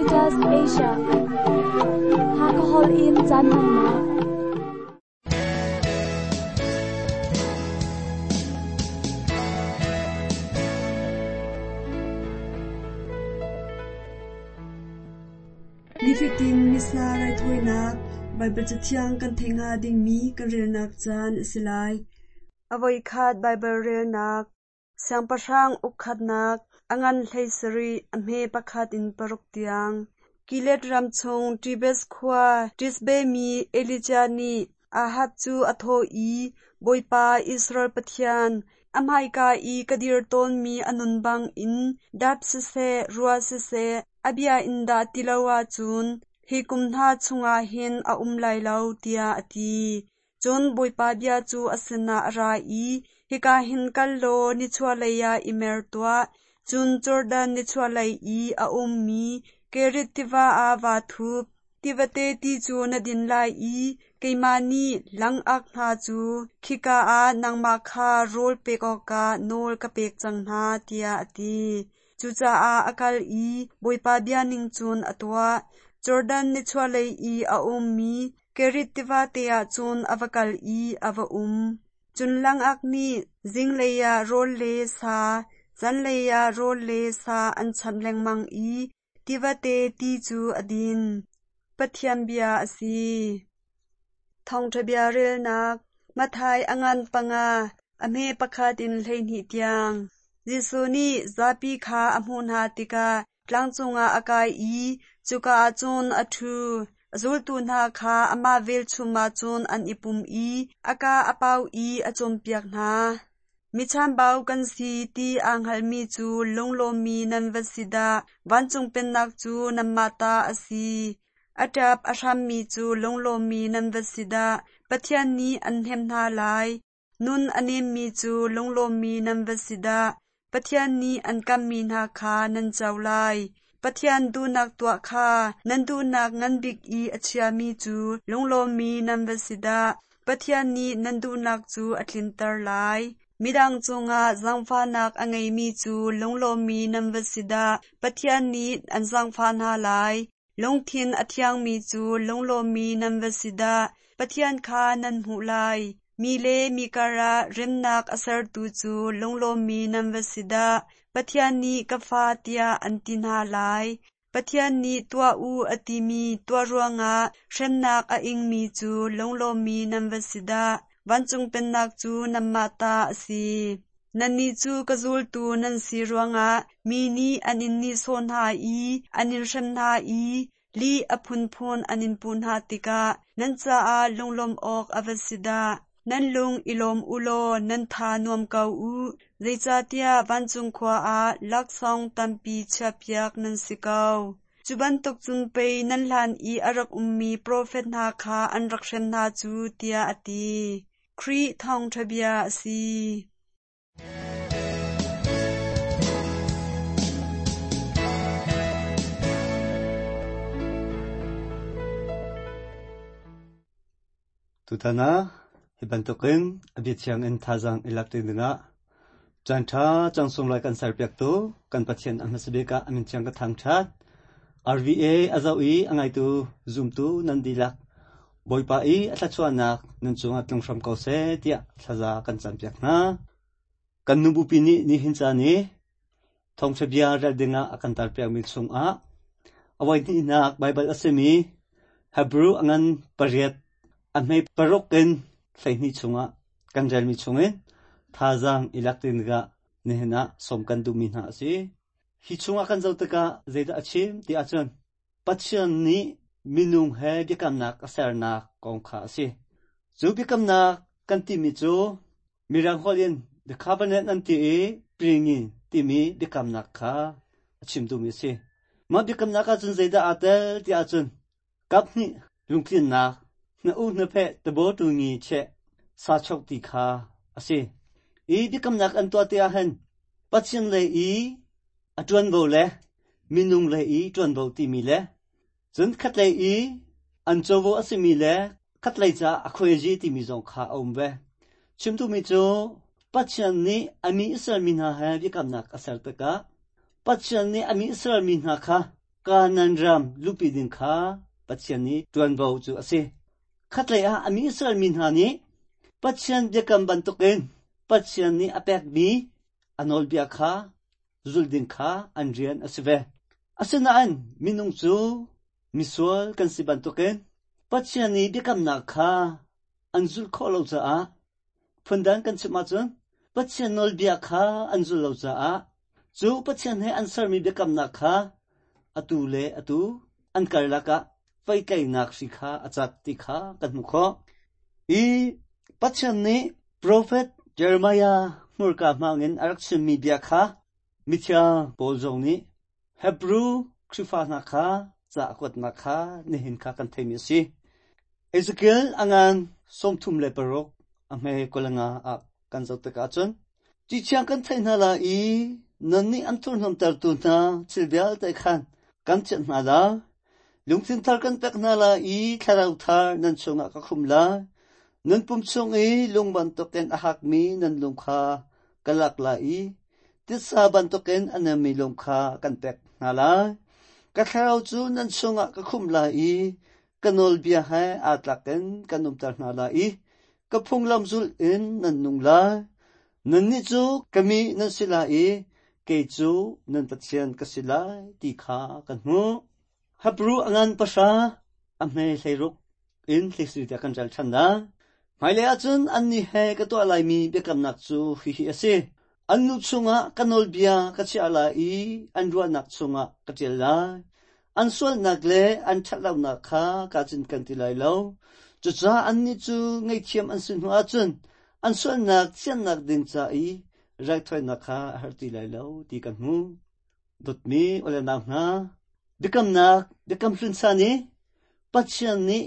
Adventist Asia. Hakka Hall in caan hmannak. Nifatin Missa raithawinak Baibal Cathiang kan theih hnga dingmi kan relnak caan a si lai. A voikhat Baibal relnak Siangpahrang ukkhatnak a ngan 17, a hme pakhat in paruk tiang. Gilead ram chung Tibes khua Tishbe mi Elijah nih Ahab cu a thawh i, Bawipa, Israel Pathian, a hmaika i ka dir tawnmi a nun bangin dap siseh, ruah siseh, a bia in dah ti lo ahcun hi kum hna chungah hin a um lai lo, tiah a ti. Cun Bawipa bia cu a sinah a ra i, Hika hin kal law nichuahlei ah i mer tuah, cun Jordan nichuahlei i a ummi Kerith tiva ah vaa thup. Tivate ti cu na din lai i keimah nih langak hna cu khika ah nangmah kha rawl pek awkah nawl ka pek cang hna, tiah a ti. Cucaah a kal i Bawipa bia ning cun a tuah. Jordan nichuahlei i a ummi Kerith tivate ah cun a va kal i a va um. Cun langak nih zinglei ah rawl le sa, zanlei ah rawl le sa an chamh lengmang i tivate ti cu a din. Pathian bia a si. Thawngṭha bia relnak Matthai a ngan panga, a hme pakhat in 12 tiang. Jesuh nih zapi kha a hmuh hna tikah tlang cungah a kai i cuka ah cun a ṭhu. A zultu hna kha amah velchum ah cun an i pum i a kaa a pau i a cawnpiak hna. Mi chambau kan si ti aa hngalmi cu lunglawmmi nan va si dah! Vancung Pennak cu nanmah ta a si. A ṭap a hrammi cu lunglawmmi nan va si dah! Pathian nih an hnemh hna lai. Nun a nemmi cu lunglawmmi nan va si dah! Pathian nih an kamhmi hna kha nan co lai. Pathian duhnak tuah kha nan duhnak ngan bik i a chiami cu lunglawmmi nan va si dah! Pathian nih nan duhnak cu a tlinter lai. Midang cungah zaangfahnak a ngeimi cu lunglawmmi nan va si dah! Pathian nih an zaangfah hna lai. Lungthin a thiangmi cu lunglawmmi nan va si dah! Pathian kha nan hmuh lai. Mi le mi karah remnak a sertu cu lunglawmmi nan va si dah! Pathian nih ka fa tiah an ti hna lai. Pathian nih tuah u a timi tuah ruangah hremnak a ingmi cu lunglawmmi nan va si dah! Vancung Pennak cu nanmah ta a si. Nannih cu ka zultu nan si ruangah mi nih an in nihsawh hna i an in hrem hna i lih a phunphun an in puh hna tikah nan caah lunglawmh awk a va si dah! Nan lung i lawm u law nan tha nuam ko u, zeicahtiah vancung khua ah laksawng tampi chiahpiak nan si ko. Cu bantuk cun pei nan hlan i a rak ummi profet hna kha an rak hrem hna cu, tiah a ti. Khrih thawngṭha bia a si. Tutan ah hi bantukin a biathiang in thazaang i lak dingah caanṭha cang sunglawi kan serpiaktu kan Pathian a hmasa bik ah a min thiang ka thangṭhat. RVA a zoh i a ngaitu zumtu nan dihlak Bawipa i a thluachuahnak nan cungah tlung hram ko seh tiah thlaza kan campiak hna. Kan nubupi nih nihin caan i thawngṭha bia rel dingah a kan tarpiakmi chungah a voihnihnak Baibal a simi Hebrew a ngan pariat a hme paruk in 12 chungah kan relmi chungin thazaang i lak dingah nihin ah sawm kan duhmi hna a si. Hi chungah kan zoh tikah zeidah a chim ti ahcun Pathian nih minung he biakamnak a sernak kong kha a si. Cu biakamnak kan timi cu Mirang holh in the covenant an ti i pringin timi biakamnak kha a chim duhmi a si. Mah biakamnak ahcun zeidah aa tel ti ahcun kaphnih lungtlinnak hna u hnapheh tabo tungi cheh sachok ti kha a si. I biakamnak an tuah ti ahhin Pathian lei i a ṭuanvo le minung lei i ṭuanvo timi le cun khatlei i an covo a simi le khatlei caah a khuaizi timi zong kha a um ve. Chimtumi cu Pathian nih a mi Israel mi hna he biakamnak a ser tikah Pathian nih a mi Israel mi hna kha Kanaan ram luhpi ding kha Pathian nih ṭuanvo cu a si. Khatlei ah a mi Israel mi hna nih Pathian biakam bantukin Pathian nih a pekmi a nawlbia kha zulh ding kha an rian a si ve. Asinain minung cu misual kan si bantukin Pathian nih biakamnak kha an zulh khawh lo caah phundang kan chim ahcun Pathian nawlbia kha an zulh lo caah cu Pathian he an sermi biakamnak kha atu le atu an karlak ah pehtlaihnak hri kha a cat ti kha kan hmuh khawh. I Pathian nih profet Jeremiah hmurka hmangin a rak chimmi bia kha mithiang Paul zong nih Hebru Khrihfa hna kha ca a kuatnak kha nihin kha kan theimi a si. Ezekiel a ngan 36 a hme 25 ah kan zoh tikah cun Ciciang kan theih hna lai i nannih an thurhnomtertu hna thil vialte khan kan chiah hna lai. Lungthin thar kan pek hna lai i thlarau thar nan chungah ka khum lai. Nan pum chung i lung bantukin a hakmi nan lung kha ka lak lai i titsa bantukin a nemmi lung kha kan pek hna lai. Ka thlarau cu nan chungah ka khumh lai i ka nawlbia he aa tlak in kan umter hna lai i ka phunglam zulh in nan nung lai. Nannih cu ka mi nan si lai i kei cu nan Pathian ka si lai ti kha kan hmuh. Hebru a ngan pahra, a hme 16 in 14 tiah kan rel ṭhan lai. Hmailei ahcun annih he ka tuah laimi biakamnak cu hihi a si. An nu chungah ka nawlbia ka chiah lai i an ruahnak chungah ka ṭial lai. An sualnak le an ṭhatlonak kha kaa cinken ti lai lo. Cucaah annih cu ngaihthiam an si hnu ahcun an sualnak thiannak ding ca i raithawinak kha a har ti lai lo ti kan hmuh. Dawtmi u le nau hna, biakamnak biakam hlun san i Pathian nih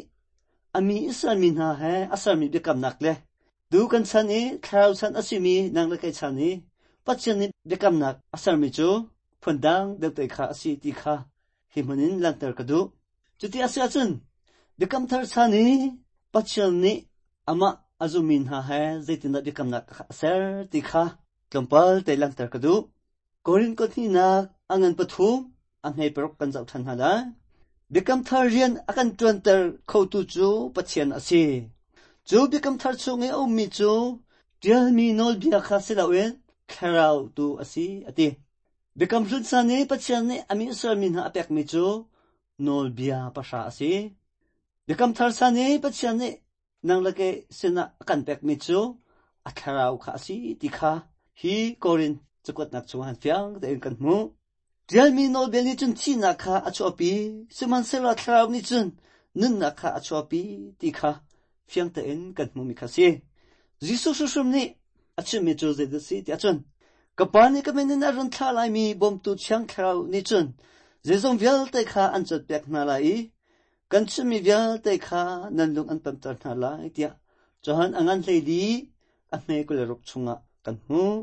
a mi Israel mi hna he a sermi biakamnak le Tu kan chan i thlarau chan a simi nang le kei chan i Pathian nih biakamnak a sermi cu phundang deuh te kha a si ti kha hi hmun in langhter ka duh. Cuti a si ahcun biakam thar chan i Pathian nih amah a zummi hna he zeitindah biakamnak a ser ti kha tlawmpal te langhter ka duh. Korin kothnihnak a ngan pathum a hme paruk kan zoh ṭhan hna lai. Biakam thar rian a kan ṭuanter khotu cu Pathian a si. Cu biakam thar chung i a ummi cu ṭialmi nawlbia kha si loin thlarau tu a si a ti. Biakam hlun san i Pathian nih a mi Israel mi hna a pekmi cu nawlbia pahra a si. Biakam thar san i Pathian nih nang le kei sinah a kan pekmi cu a thlarau kha a si ti kha hi Korin cakuatnak chungah han fiang tein kan hmuh. Ṭialmi nawlbia nih cun thihnak kha a chuahpi, sihmanhsehlaw thlarau nih cun nunnak kha a chuahpi ti kha fiang tein kan hmuhmi kha a si. Jesuh hrimhrim nih a chimmi cu zeidah a si tiah cun ka Pa nih ka min in a run thlah laimi bawmtu Thiang Thlarau nih cun zeizong vialte kha an cawnpiak hna lai i Kan chimmi vialte kha nan lung an pemter hna lai tiah Johan a ngan 14 a hme 26 chungah kan hmuh.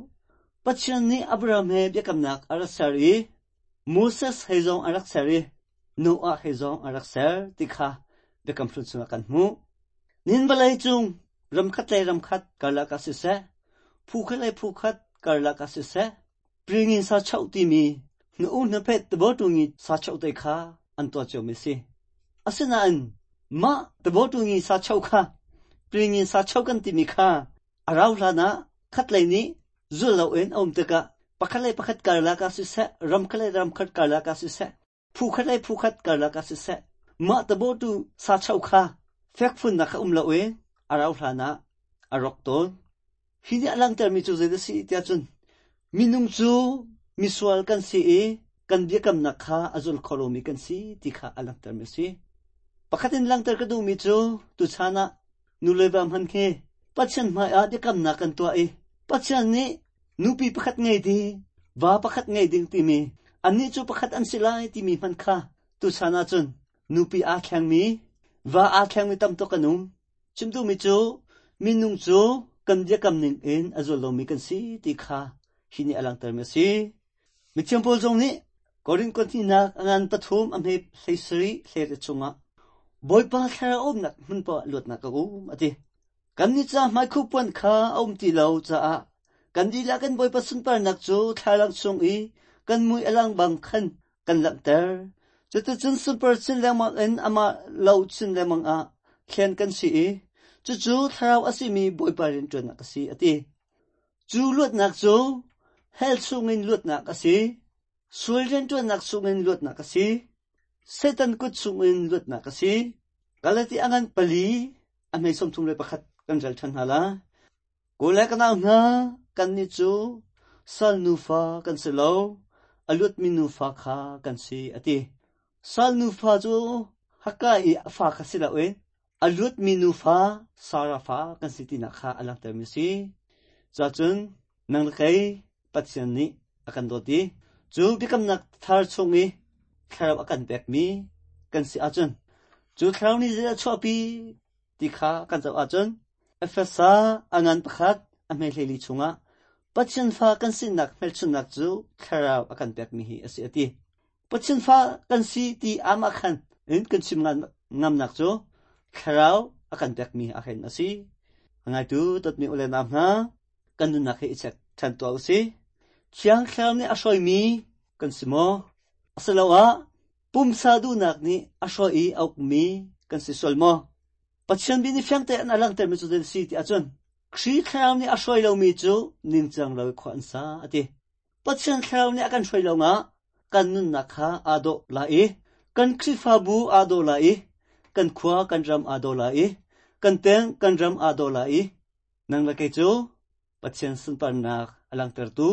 Pathian nih Abraham he biakamnak a rak ser i Moses he zong a rak ser i Noah he zong a rak ser ti kha biakam hlun chungah kan hmuh. Nin vawlei cung ramkhat le ramkhat karlak ah siseh, phu khat le phu khat karlak ah siseh, Pringin sa choh timi hnu hnaphet tebawṭungi sa choh te kha an tuah ciomi a si. Asinain mah tebawṭungi sa choh kha pringin sa choh kan timi kha a rau hlan ah khatlei nih zul loin a um tikah pakhat le pakhat karlak ah siseh, ram khat le ram khat karlak ah siseh, phu khat le phu khat karlak ah siseh, mah tebawṭu sa choh kha fekfunnak kha um loin a rau hlan ah a rawk tawn. Hi nih a langhtermi cu zeidah a si tiah cun minung cu misual kan si i kan biakamnak kha a zul kho lomi kan si ti kha a langhtermi a si. Pakhat in langhter ka duhmi cu tuchan ah nu le va hman khi Pathian hmaiah biakamnak kan tuah i Pathian nih nupi pakhat ngei ding, va pakhat ngei ding timi annih cu pakhat an si lai timi hmanh kha tuchan ahcun nupi aa thlengmi, va aa thlengmi tam tuk kan um. Chim duhmi cu minung cu kan biakam ning in a zul lomi kan si ti kha hi nih a langhtermi a si. Mithiang Paul zong nih Korin kuathnihnak a ngan pathum a hme 17 hlei chungah Bawipa thlarau umnak hmun paoh ah luatnak ka um a ti. Kannih ca hmaikhuh puan kha a um ti lo caah kan dihlak in Bawipa sunparnak cu thlalang chung i kan mui a lang bang khan kan langhter. Cuticun sunpar chin lengmang in amah lo chin lengmang ah thlen kan si i cucu thlarau a simi Bawipa rianṭuannak a si, a ti. Cu luatnak cu hell chungin luatnak a si, sual rianṭuannak chungin luatnak a si, Satan kut chungin luatnak a si. Galati a ngan pali a hmei 31 kan rel ṭhan hna lai. Kawl le ka nau hna, kannih cu sal nufa kan si lo, a luatmi nufa kha kan si, a ti. Sal nufa cu Hakka i a fa kha si loin a luatmi nufa Sarah fa kan si tinak kha a langhtermi a si. Cuahcun nang le kei Pathian nih a kan dawt i cu biakamnak thar chung i thlarau a kan pekmi kan si ahcun cu thlarau nih zeidah a chuahpi ti kha kan zoh ahcun Efesa a ngan pakhat a hme hleili chungah Pathian fa kan sinak hmelchunhnak cu thlarau a kan pekmi hi a si a ti. Pathian fa kan si ti amah khan in kan chim ngamnak cu thlarau a kan pekmi a hen a si. A ngaitu dawtmi u le nau hna, kan nunnak hi i check ṭhan tuah u si. Thiang Thlarau nih a hruaimi kan si maw? Asiloah pumsa duhnak nih a hruai i a ukmi kan si sual maw? Pathian bia nih fiang tein a langhtermi cu zei a si ti ahcun Khrih Thlarau nih a hruai lomi cu ningcang lo i khua an sa a ti. Pathian Thlarau nih a kan hruai lawngah kan nunnak kha aa dawh lai i kan Khrihfabu aa dawh lai i kan khua kan ram aa dawh lai i kan peng kan ram aa dawh lai i nang le kei cu Pathian sunparnak a langhtertu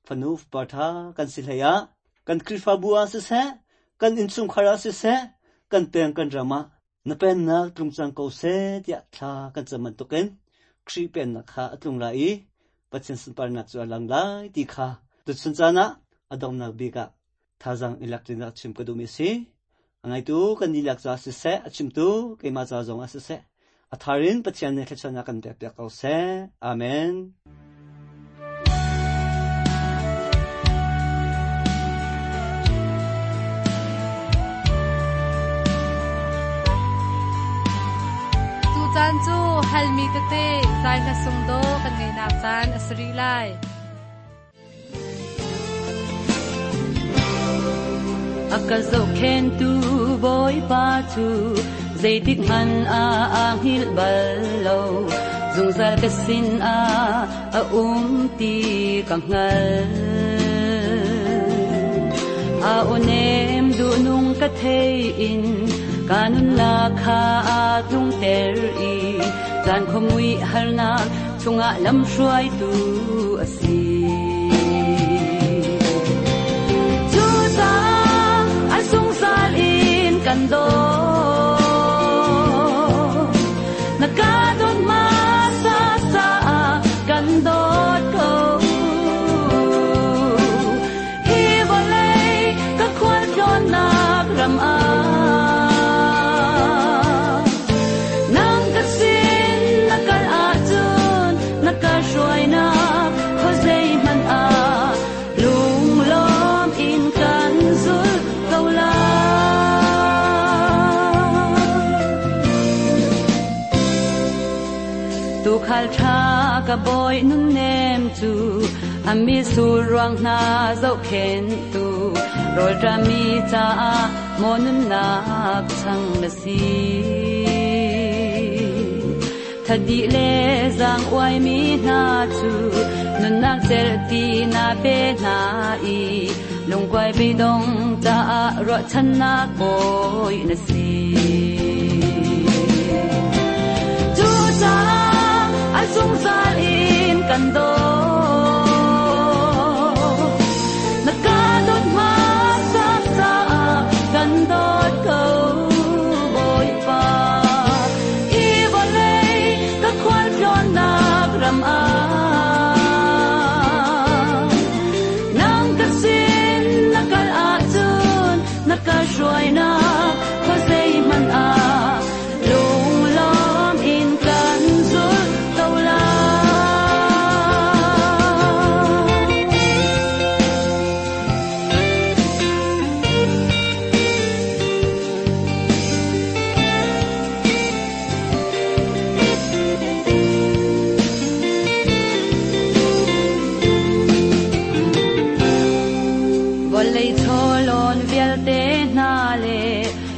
fanu fapa ṭha kan si hlei ah kan Khrihfabu ah siseh kan innchungkhar ah siseh kan peng kan ram ah Na pennak tlung cang ko seh tiah thla kan cam bantukin Khrih pennak kha a tlung lai i Pathian sunparnak cu a lang lai ti kha tuchun caan ah a donghnak bik ah thazaang i lak ṭinak chim ka duhmi a si. A ngaitu kan dihlak caah siseh, a chimtu keimah ca zong ah siseh, a thar in Pathian nih thluachuahnak kan pekpiak ko seh. Amen. Tucaan cu halmi tete zai hla sung daw kan ngeihnak caan a si rih lai. A ka zohkhentu Bawipa cu zeitik hmanh ah aa hngilh bal lo. Zungzal ka sin ah a um ti ka hngalh. A aw nem duhnung ka thei in ka nunnak kha aa tlungter i caan khuamui harnak chungah lamhruaitu a si. Cucaah a zungzal in kan dawt. Na ka dawt hmasa caah kan dawt ko. Hi vawlei ka khualtlawnnak ram ah nang ka sin na kal ahcun na ka hruainak khuazei hmanh ah lunglawm in kan zulh ko lai. Tuukhal ṭha ka bawi nunnem cu a mitsur ruang hna zohkhenhtu rawlṭammi caah maw nunnak chang na si. Thadi le zaang uaimi hna cu nunnak cerhti na pe hna i lungkuai beidong caah ruahchannak bawi na si. Cucaah a zungzal in kan dawt. Na ka dawt hmasa caah kan dawt ko, Bawipa. Hi vawlei ka khualtlawnnak ram ah nang ka sin na kal ahcun na ka hruainak khuazei hmanh ah lunglawm in kan zulh ko lai.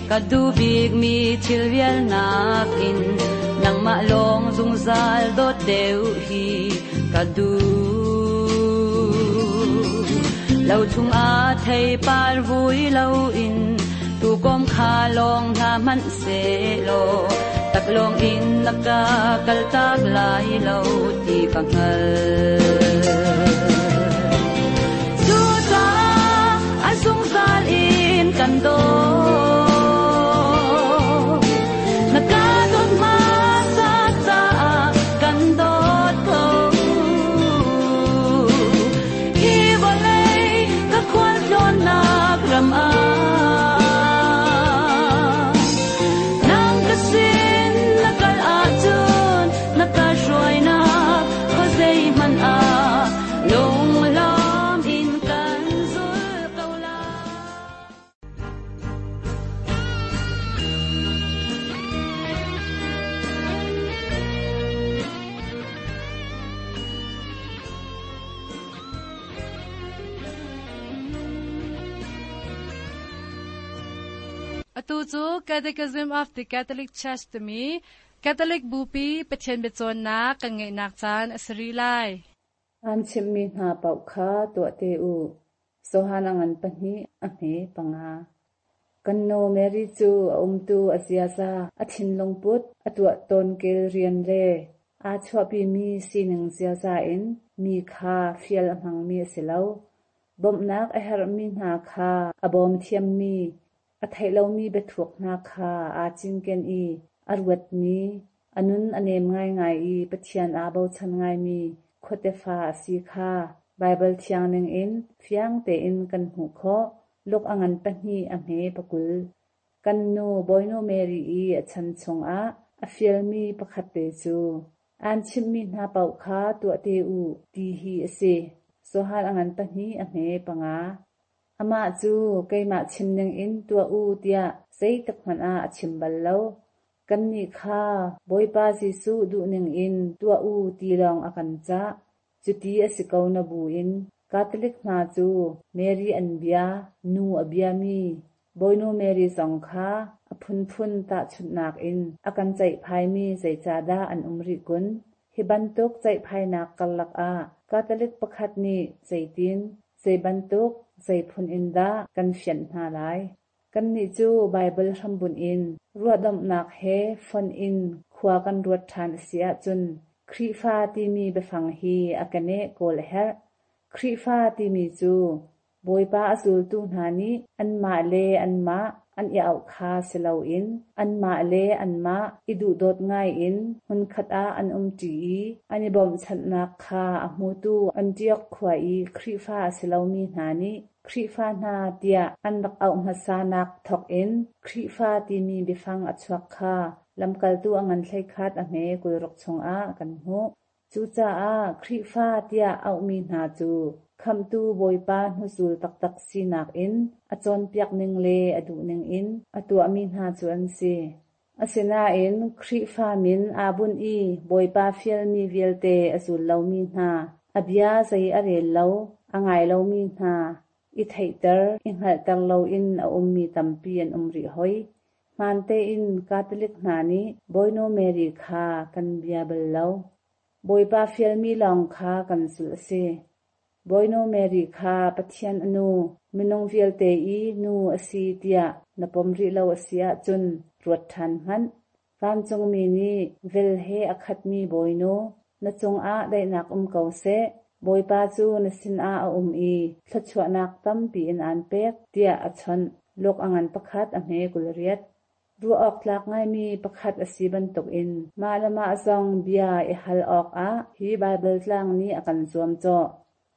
Ka duh bikmi thil vial nakin nangmah lawng zungzal dawt deuh hi ka duh. Lo chungah theipar vui loin tuukawm kha lawng hna hmanh sehlaw taklawng in na ka kaltak lai lo ti ka hngalh. Cucaah a zungzal in kan dawt. Na ka dawt hmasa caah kan dawt ko. Hi vawlei ka khualtlawnnak ram ah nang ka sin na kal ahcun na ka hruainak khuazei hmanh ah lunglawm in kan zul ko lai. Atu cu Catechism of the Catholic Church timi Catholic Bupi Pathian biacawnnak kan ngeihnak caan a si rih lai. Aan chimhmi hna paoh kha tuah te u. Johan a ngan pahnih, a hme panga. Kan nu Mary cu a umtu, a ziaza, a thinlungput, a tuah tawnkel rian le aa chuahpimi sining ziaza in mi kha fial a hmangmi a si lo. Bawmhnak a herhmi hna kha a bawm thiammi, a theih lomi biathuk hna kha aa cinken i a ruatmi, a nun a nem ngaingai i Pathian aa bochan ngaimi khuatefa a si kha Baibal thiang ningin fiang tein kan hmuh khawh. Luk a ngan pahnih a hme pakul. Kan nu Bawinu Mary i a chan chungah a fialmi pakhat te cu, Aan chimhmi hna paoh kha tuah te u, ti hi a si. Johan a ngan pahnih a hme panga. Amah cu keimah chim ningin tuah u tiah zeitik hmanh ah a chim bal lo. Kannih kha Bawipa Jesuh duhning in tuah u ti lawng a kan cah. Cuti a si ko na buin Catholic hna cu Mary an bia, nu a biami, Bawinu Mary zong kha a phunphun tahchunhnak in a kan ceihphaimi zeicahdah an um rih kun? Hi bantuk ceihphainak karlak ah Catholic pakhat nih zeitin, zei bantuk, zei phun in dah kan fianh hna lai? Kannih cu Baibal hrambunh in ruahdomhnak he fonh in khua kan ruat ṭhan a si ahcun Khrihfa timi biafang hi a keneh kawl a herh. Khrihfa timi cu Bawipa a zultu hna nih anmah le anmah an i auh kha si loin anmah le anmah i duhdawt ngaiin hmunkhat ah an umṭi i an i bawmhchanhnak kha a hmutu Antiok khua i Khrihfa a si lomi hna nih Khrihfa hna tiah an rak auh hmasanak thawkin Khrihfa timi biafang a chuak kha lamkaltu a ngan hleikhat a hme 26 chungah kan hmuh. Cucaah Khrihfa tiah auhmi hna cu Khamhtu Bawipa hnuzul taktak sinak in a cawnpiak ning le a duhning in a tuahmi hna cu an si. Asinain Khrihfa min aa bunh i Bawipa fialmi vialte a zul lomi hna, a bia zei a rel lo, a ngai lomi hna, i theihter, i hngalhter loin a ummi tampi an um rih hoi. Hmaan tein Catholic hna nih Bawinu Mary kha kan bia bal lo. Bawipa fialmi lawng kha kan zulh a si. Bawinu Mary kha Pathian a nu, minung vialte i nu a si tiah na pom rih lo a si ahcun ruat ṭhan hmanh. Vancungmi nih vel he a khatmi Bawinu, na cungah daihnak um ko seh, Bawipa cu na sinah a um i thluachuahnak tampi in aan pek, tiah a chawnh. Luke a ngan pakhat a hme 28. Ruah awk tlak ngaimi pakhat a si bantukin mah le mah zong bia i hal awkah hi Baibal tlang nih a kan zuamcawh.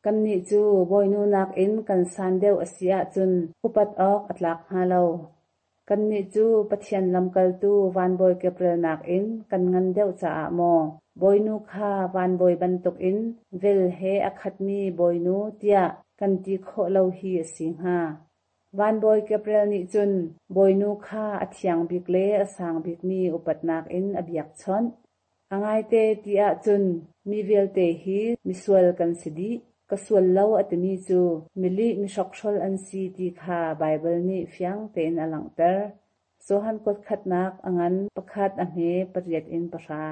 Kannih cu bawinu nakin kan san deuh a si ahcun upat awk a tlak hnga lo. Kannih cu Pathian lamkaltu vanbawi Gabriel nakin kan ngan deuh caah maw bawinu kha vanbawi bantukin vel he a khatmi bawinu tiah kan ti khawh lo hi a si hnga? Vanbawi Gabriel nih cun bawinu kha a thiang bik le a sang bikmi upatnak in a biakchawnh. A ngaite ti ahcun mi vialte hi misual kan si dih. Ka sual lo a timi cu milih mihrokhrol an si ti kha Baibal nih fiang tein a langhter. Johan kuat khatnak a ngan pakhat a hme pariat in pahra.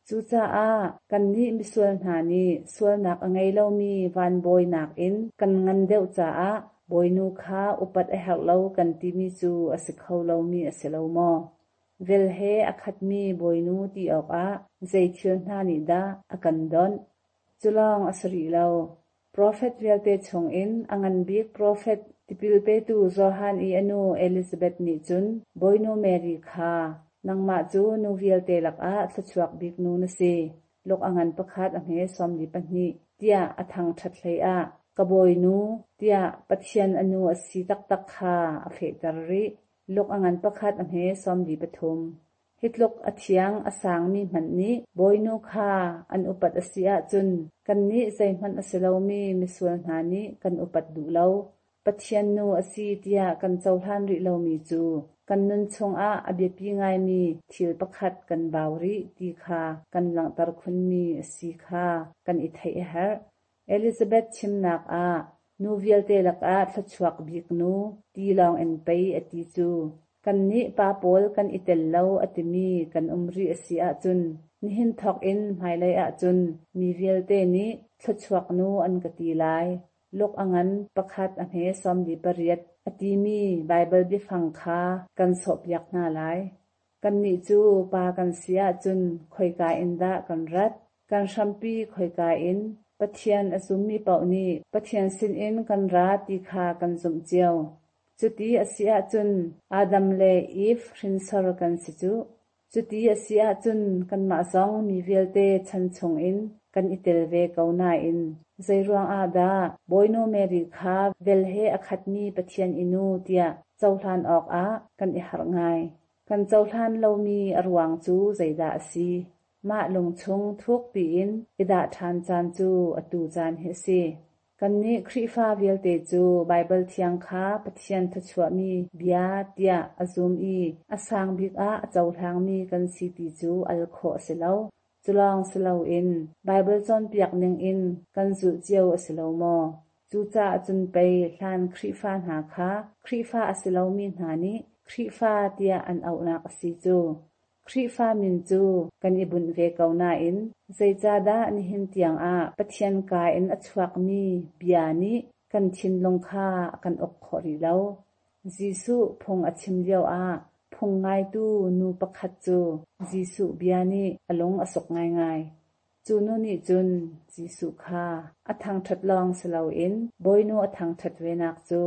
Cucaah kannih misual hna nih sualnak a ngei lomi van bawi nakin kan ngan deuh caah bawinu kha upat a herh lo kan timi cu a si kho lomi a si lo maw? Vel he a khatmi bawinu ti awkah zei thil hna nih dah a kan donh? Cu lawng a si rih lo. Profet vialte chungin a ngan bik profet tipil petu Johan i a nu Elizabeth nih cun Bawinu Mary kha, Nangmah cu nu vialte lakah thluachuak bik nu na si, luk a ngan pakhat a hme 42, tiah a thangṭhat hleiah, Ka Bawinu, tiah Pathian a nu a si taktak kha a fehter rih. Luk a ngan pakhat a hme 43. Hi tluk a thiang a sangmi hmanh nih Bawinu kha an upat a si ahcun kannih zeihmanh a si lomi misual hna nih kan upat duh lo. Pathian nu a si tiah kan cohlan rih lomi cu kan nun chungah a biapi ngaimi thil pakhat kan bau rih ti kha kan langhter khunmi a si kha kan i theih a herh. Elizabeth chimnak ah nu vialte lakah thluachuak bik nu ti lawng in pei a ti cu. Kannih pa pawl kan i tel lo a timi kan um rih a si ahcun nihin thawk in hmailei ahcun mi vialte nih thluachuak nu an ka ti lai. Luk a ngan pakhat a hme 48 a timi Baibal biafang kha kan sawhpiak hna lai. Kannih cu pa kan si ahcun khoika in dah kan rat? Kan hrampi khoika in? Pathian a zummi paoh nih Pathian sinin kan ra ti kha kan zumh cio. Cuti a si ahcun Adam le Eve hrinsor kan si cuh. Cuti a si ahcun kanmah zong mi vialte chan chungin kan i tel ve ko nain zeiruang ah dah Bawinu Mary kha vel he a khatmi Pathian i nu tiah cohlan awkah kan i harh ngai. Kan cohlan lomi a ruang cu zeidah a si? Mah lungchung thuk piin i dah ṭhan caan cu atu caan hi a si. Kannih Khrihfa vialte cu Baibal Thiang kha Pathian thluachuahmi bia tiah a zum i a sang bik ah a cohlangmi kan si ti cu al khawh a si lo. Cu lawng si loin Baibal cawnpiak ningin kan zulh cio a si lo maw? Cucaah cun pei hlan Khrihfa hna kha Khrihfa a si lomi hna nih Khrihfa tiah an auhnak a si cu. Khrihfa min cu kan i bunh ve ko nain zeicahdah nihin tiangah Pathian kaa in a chuakmi bia nih kan thinlung kha a kan uk khawh rih lo? Jesuh phung a chim lioah phung ngaitu nu pakhat cu Jesuh bia nih a lung a suk ngaingai. Cu nu nih cun Jesuh kha a thangṭhat lawng si loin Bawinu a thangṭhat venak cu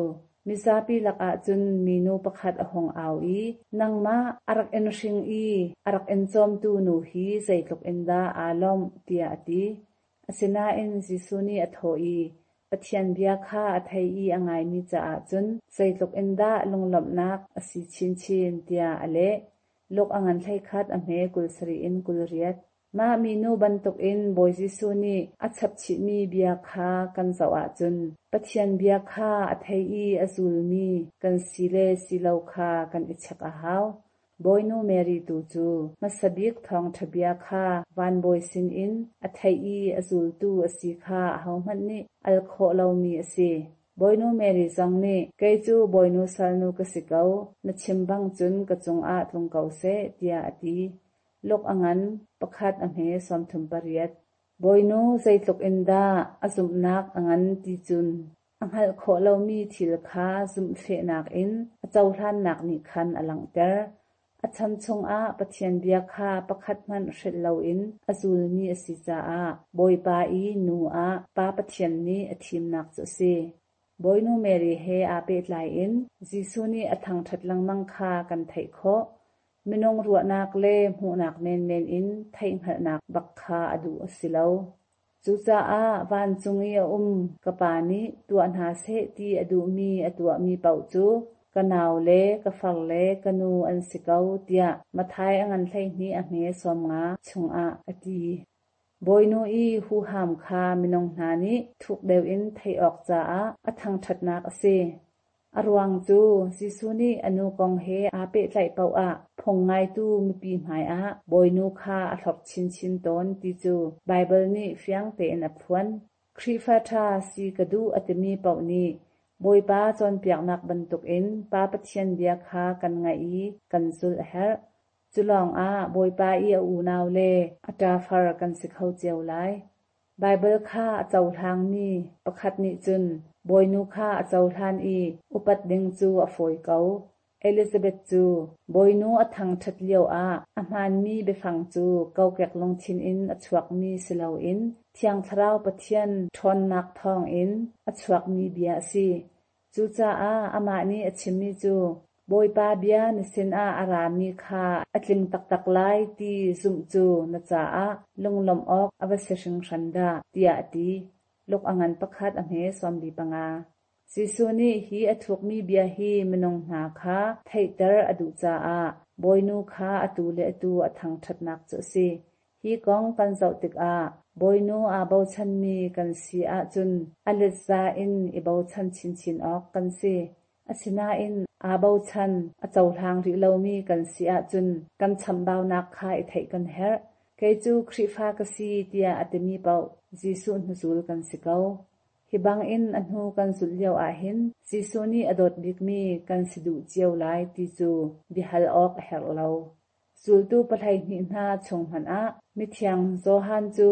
mizapi lakah cun minu pakhat a hung au i, Nangmah a rak in hring i a rak in cawmtu nu hi zeitluk in dah aa lawmh, tiah a ti. Asinain Jesuh nih a thawh i, Pathian bia kha a thei i a ngaimi caah cun zeitluk in dah lunglawmhnak a si chinchin, tiah a leh. Luke a ngan 11 a hme 27 in 28. Mah minu bantukin Bawi Jesuh nih a chapchihmi bia kha kan zoh ahcun Pathian bia kha a thei i a zulmi kan si le si lo kha kan i check a hau. Bawinu Mary tu cu hmasa bik thawngṭha bia kha vanbawi sinin a theih i a zultu a si kha ahohmanh nih al khawh lomi a si. Bawinu Mary zong nih, Kei cu Bawinu salnu ka si ko, na chim bang cun ka cungah tlung ko seh, tiah a ti. Luk a ngan, pakhat a hme 38. Bawinu zeitluk in dah a zumhnak a ngan ti cun a hngalh khawh lomi thil kha zumhfehnak in a cohlannak nih khan a langhter. A chan chungah Pathian bia kha pakhat hmanh hrelh loin a zulmi a si caah Bawipa i nu ah Pa Pathian nih a thimnak cu a si. Bawinu Mary he aa pehtlai in Jesuh nih a thangṭhat lengmang kha kan theih khawh. Minung ruahnak le hmuhnak menmen in theihhngalhnak bak kha a duh a si lo. Cucaah vancung i a um ka Pa nih tuah hna seh ti a duhmi a tuahmi paoh cu ka nau le ka far le ka nu an si ko, tiah Matthai a ngan 12 a hme 50 chungah a ti. Bawinu i huham kha minung hna nih thuk deuh in theih awk caah a thangṭhatnak a si. A ruang cu Jesuh nih a nu kong he aa pehtlaih paoh ah phung ngaitu mipi hmaiah Bawinu kha a hlorh chinchin tawn ti cu Baibal nih fiang tein a phuan. Khrihfa ṭha si ka duh a timi paoh nih Bawipa cawnpiaknak bantukin Pa Pathian bia kha kan ngaih i kan zulh a herh. Cu lawngah Bawipa i a unau le a ṭafar kan si kho cio lai. Baibal kha a cohlangmi pakhat nih cun Bawinu kha a cohlan i upat ding cu a fawi ko. Elizabeth cu Bawinu a thangṭhat lioah a hmaanmi biafang cu kokek lungthin in a chuakmi si loin Thiang Thlarau Pathian ṭhawnnak thawngin a chuakmi bia a si. Cucaah amah nih a chimmi cu Bawipa bia na sinah a rami kha a tling taktak lai ti zumh cu na caah lunglawmh awk a va si hringhran dah, tiah a ti. Luk a ngan pakhat a hme 45. Jesuh nih hi a thukmi bia hi minung hna kha theihter a duh caah Bawinu kha atu le atu a thangṭhatnak cu a si. Hi kong kan zoh tikah Bawinu aa bochanmi kan si ahcun a letza in i bochan chinchin awk kan si. Asinain aa bochan, a cohlang rih lomi kan si ahcun kan chamhbaunak kha i theih kan herh. Kei cu Khrihfa ka si tiah a timi paoh Jesuh hnuzul kan si ko. Hi bangin a hnu kan zulh lio ahhin Jesuh nih a dawt bikmi kan si duh cio lai ti cu biahal awk a herh lo. Zultu 12 hna chung hmanh ah mithiang Johan cu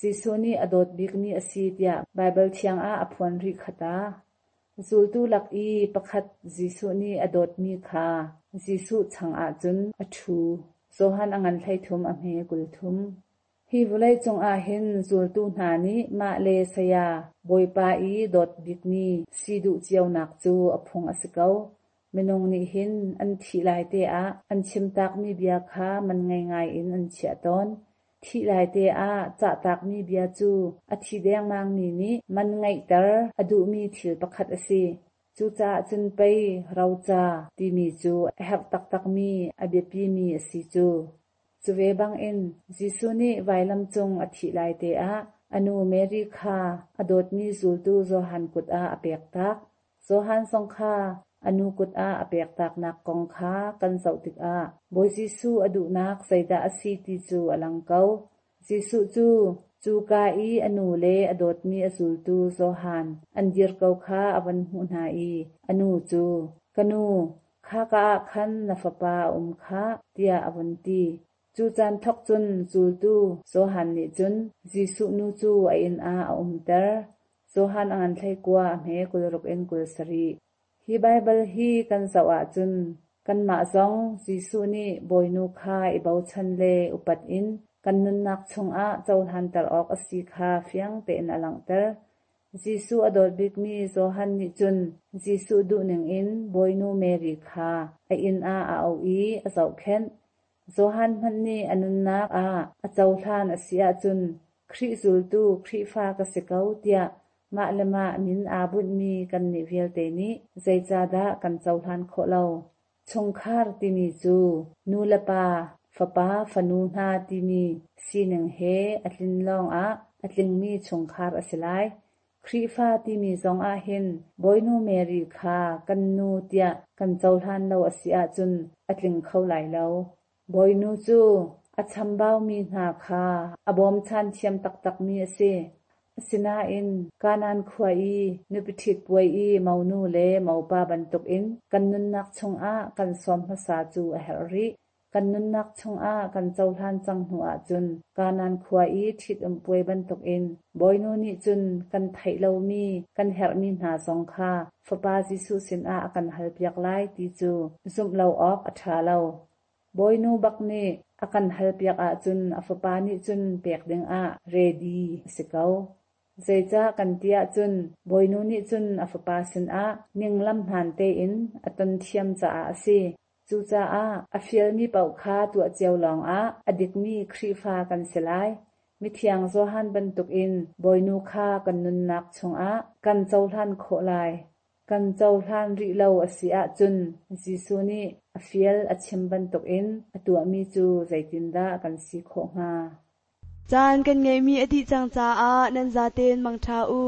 Jesuh nih a dawt bikmi a si tiah Baibal thiang ah a phuan rih kha ta. Zultu lak i pakhat Jesuh nih a dawtmi kha Jesuh chang ahcun a ṭhu. Johan a ngan 13 a hme 30. Hi vawleicung ah hin zultu hna nih mah le saya Bawipa i dawt bikmi si duh cionak cu a phung a si ko. Minung nih hin an thih lai te ah an chimtakmi bia kha man ngei ngai in an chiah tawn. Thih lai te ah cahtakmi bia cu a thi dengmangmi nih man ngeihter a duhmi thil pakhat a si. Cucaah cun pei roca timi cu a herh taktakmi a biapimi a si cu. Cu ve bangin Jesuh nih vailam cung a thih lai te ah a nu Mary kha a dawtmi zultu Johan kut ah a pektak. Johan zong kha a nu kut ah a pektaknak kong kha kan zoh tikah Bawi Jesuh a duhnak zeidah a si ti cu a lang ko. Jesuh cu cuka i a nu le a dawtmi a zultu Johan an dir ko kha a van hmuh hna i a nu cu, Ka nu, khaka ah khan na fapa a um khah, tiah a vun ti. Cu caan thawk cun zultu Johan nih cun Jesuh nu cu a inn ah a umter. Johan a ngan 19 a hme 26 in 27. Hi Baibal hi kan zoh ahcun kanmah zong Jesuh nih Bawinu kha i bochan le upat in kan nunnak chungah cohlanter awk a si kha fiang tein a langhter. Jesuh a dawt bikmi Johan nih cun Jesuh duhning in Bawinu Mary kha a inn ah a auh i a zohkhenh. Johan hmanh nih a nunnak ah a cohlan a si ahcun Khrih zultu Khrihfa ka si ko tiah mah le mah min aa bunhmi kannih vialte nih zeicahdah kan cohlan khawh lo? Chungkhar timi cu nu le pa, fapa, fanu hna timi sining he a tlin lawngah a tlingmi chungkhar a si lai. Khrihfa timi zong ah hin Bawinu Mary kha kan nu tiah kan cohlan lo a si ahcun a tling kho lai lo. Bawinu cu a chambaumi hna kha a bawmchan thiam taktakmi a si. Asinain Kanaan khua i nupi ṭhit puai i monu le mopa bantukin kan nunnak chungah kan sawm hmasa cu a herh rih. Kan nunnak chungah kan cohlan cang hnu ahcun Kanaan khua i ṭhitum puai bantukin Bawinu nih cun kan theih lomi kan herhmi hna zong kha Fapa Jesuh sinah a kan halpiak lai ti cu zumh lo awk a ṭha lo. Bawinu bak nih a kan halpiak ahcun a fapa nih cun pek dingah ready a si ko. Zeicah kan ti ahcun Bawinu nih cun a fapa sinah ninglam hmaan tein a ton thiam caah a si. Cucaah a fialmi paoh kha tuah cio lawngah a dikmi Khrihfa kan si lai. Mithiang Johan bantukin Bawinu kha kan nunnak chungah kan cohlan khawh lai. Kan cohlan rih lo a si ahcun Jesuh nih a fial a chim bantukin a tuahmi cu zeitindah kan si khawh hnga? Caan kan ngeihmi a dih cang caah nan zaten mangṭha u.